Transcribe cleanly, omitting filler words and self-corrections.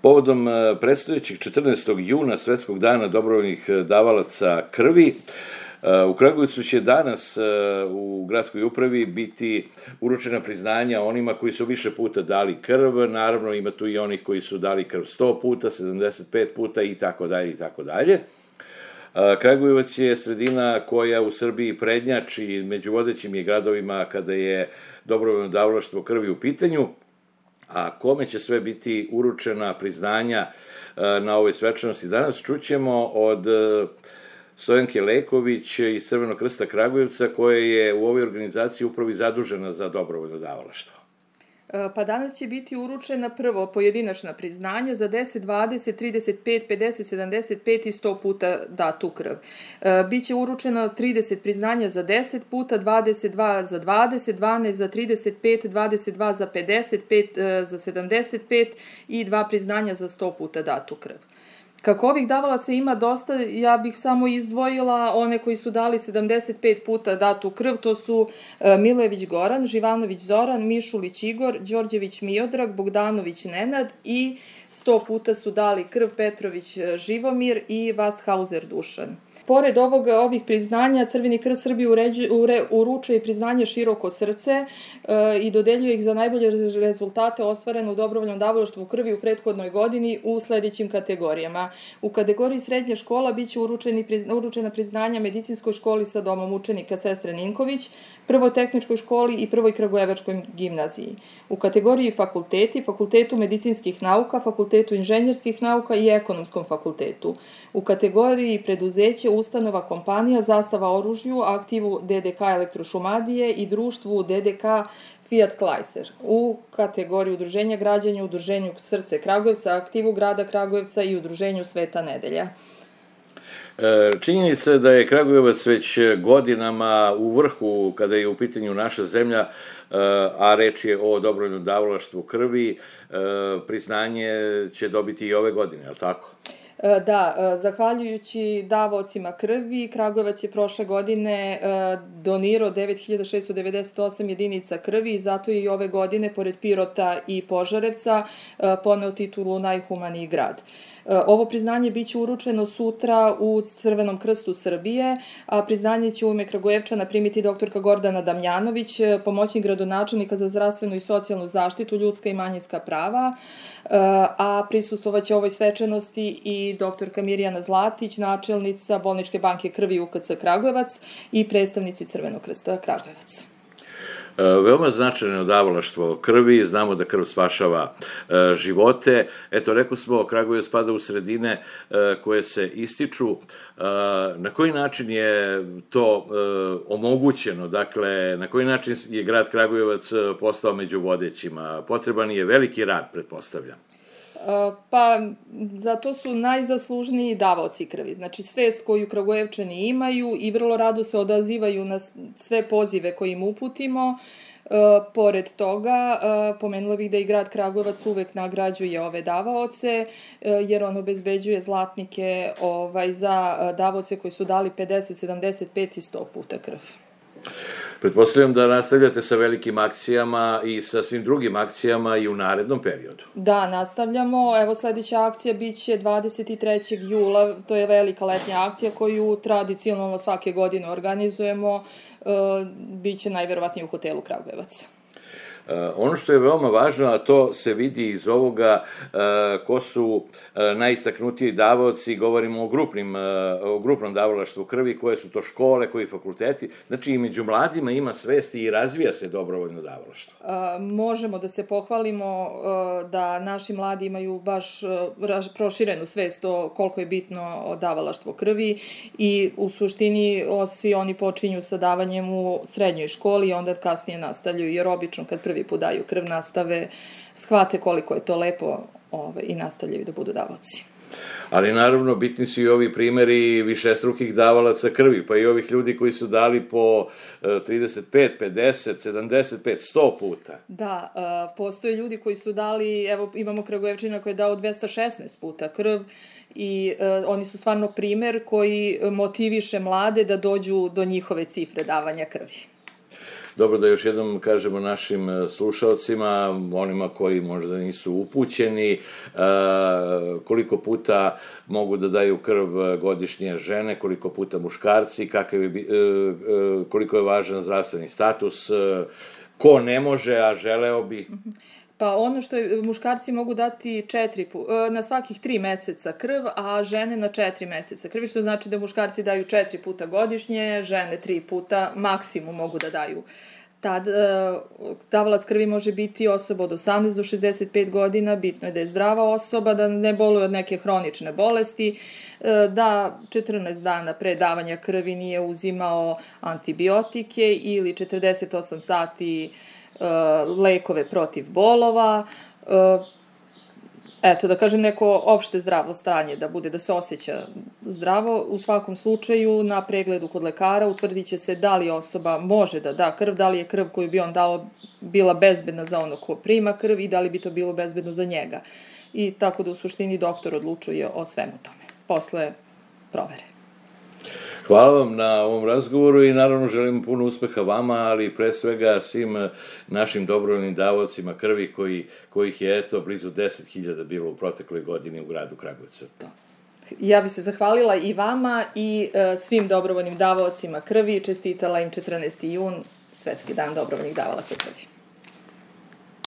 Povodom predstojećeg 14. juna, Svetskog dana dobrovoljnih davalaca krvi, u Kragujevcu će danas u gradskoj upravi biti uručena priznanja onima koji su više puta dali krv, naravno ima tu i onih koji su dali krv 100 puta, 75 puta i tako dalje i tako dalje. Kragujevac je sredina koja u Srbiji prednjači, među vodećim je gradovima kada je dobrovoljno davalaštvo krvi u pitanju, a kome će sve biti uručena priznanja na ovoj svečanosti danas, čućemo od Stojanke Leković iz Crvenog krsta Kragujevca, koja je u ovoj organizaciji upravo i zadužena za dobrovoljno davalaštvo. Pa danas će biti uručena prvo pojedinačna priznanja za 10, 20, 35, 50, 75 i 100 puta datu krv. Biće uručeno 30 priznanja za 10 puta, 22 za 20, 12 za 35, 22 za 55, za 75 i 2 priznanja za 100 puta datu krv. Kako ovih davalaca ima dosta, ja bih samo izdvojila one koji su dali 75 puta datu krv, to su Milojević Goran, Živanović Zoran, Mišulić Igor, Đorđević Miodrag, Bogdanović Nenad i 100 puta su dali krv Petrović Živomir i Vasthauser Dušan. Pored ovih priznanja, Crveni krst Srbije uručuje i priznanje Široko srce i dodeljuje ih za najbolje rezultate ostvarene u dobrovoljnom davalaštvu krvi u prethodnoj godini u sledećim kategorijama. U kategoriji srednje škola biće uručena priznanja Medicinskoj školi sa domom učenika Sestre Ninković, Prvoj tehničkoj školi i Prvoj kragujevačkoj gimnaziji. U kategoriji fakulteti, Fakultetu medicinskih nauka, Fakultetu inženjerskih nauka i Ekonomskom fakultetu. U kategoriji preduzeće, ustanova, kompanija, Zastava oružju, aktivu DDK Elektrošumadije i društvu DDK Fiat Chrysler. U kategoriji udruženja građanja, udruženju Srce Kragujevca, aktivu grada Kragujevca i udruženju Sveta nedelja. Činjenica da je Kragujevac već godinama u vrhu kada je u pitanju naša zemlja, a reč je o dobrovoljnom davalaštvu krvi, priznanje će dobiti i ove godine, je li tako? Da, zahvaljujući davaocima krvi, Kragujevac je prošle godine donirao 9698 jedinica krvi i zato je i ove godine, pored Pirota i Požarevca, poneo titulu najhumaniji grad. Ovo priznanje biće uručeno sutra u Crvenom krstu Srbije, a priznanje će u ime Kragujevčana primiti doktorka Gordana Damjanović, pomoćnik gradonačelnika za zdravstvenu i socijalnu zaštitu, ljudska i manjinska prava, a prisustvovaće ovoj svečanosti i doktorka Mirjana Zlatić, načelnica Bolničke banke krvi UKC Kragujevac i predstavnici Crvenog krsta Kragujevac. Veoma značajno davalaštvo krvi, znamo da krv spašava živote. Eto, rekao smo, Kragujevac spada u sredine koje se ističu. Na koji način je to omogućeno? Dakle, na koji način je grad Kragujevac postao među vodećima? Potreban je veliki rad, pretpostavljam. Pa, zato su najzaslužniji davaoci krvi. Znači, svest koju Kragujevčani imaju i vrlo rado se odazivaju na sve pozive koje im uputimo. Pored toga, pomenula bih da i grad Kragujevac uvek nagrađuje ove davaoce, jer on obezbeđuje zlatnike za davaoce koji su dali 50, 75 i 100 puta krv. Pretpostavljam da nastavljate sa velikim akcijama i sa svim drugim akcijama i u narednom periodu. Da, nastavljamo. Evo, sledeća akcija biće 23. jula, to je velika letnja akcija koju tradicionalno svake godine organizujemo, biće najverovatnije u hotelu Kragujevac. Ono što je veoma važno, a to se vidi iz ovoga ko su najistaknutiji davaoci, govorimo o grupnom davalaštvu krvi, koje su to škole, koji fakulteti, znači i među mladima ima svesti i razvija se dobrovoljno davalaštvo. Možemo da se pohvalimo da naši mladi imaju baš proširenu svest o koliko je bitno davalaštvo krvi i u suštini svi oni počinju sa davanjem u srednjoj školi i onda kasnije nastavljaju, jer obično kad prvi put daju krv nastave, shvate koliko je to lepo i nastavljaju da budu davaoci. Ali naravno bitni su i ovi primeri višestrukih davalaca krvi, pa i ovih ljudi koji su dali po 35, 50, 75, 100 puta. Da, postoje ljudi koji su dali, evo imamo Kragujevčina koji je dao 216 puta krv i oni su stvarno primer koji motiviše mlade da dođu do njihove cifre davanja krvi. dobro da još jednom kažemo našim slušalcima, onima koji možda nisu upućeni, koliko puta mogu da daju krv godišnje žene, koliko puta muškarci, koliko je važan zdravstveni status, ko ne može, a želeo bi? Pa ono što muškarci mogu dati na svakih 3 meseca krv, a žene na 4 meseca krvi, što znači da muškarci daju 4 puta godišnje, žene 3 puta maksimum mogu da daju. Tad davalac krvi može biti osoba od 18 do 65 godina, bitno je da je zdrava osoba, da ne boluje od neke hronične bolesti, da 14 dana pre davanja krvi nije uzimao antibiotike ili 48 sati lekove protiv bolova, eto, da kažem neko opšte zdravo stanje, da se osjeća zdravo. U svakom slučaju, na pregledu kod lekara utvrdit će se da li osoba može da da krv, da li je krv koju bi on dao bila bezbedna za ono ko prima krv i da li bi to bilo bezbedno za njega. I tako da u suštini doktor odlučuje o svemu tome, posle provere. Hvala vam na ovom razgovoru i naravno želim puno uspeha vama, ali pre svega svim našim dobrovoljnim davaocima krvi kojih je blizu 10.000 bilo u protekloj godini u gradu Kragujevcu. Ja bih se zahvalila i vama i svim dobrovoljnim davaocima krvi, čestitala im 14. jun, Svetski dan dobrovoljnih davalaca krvi.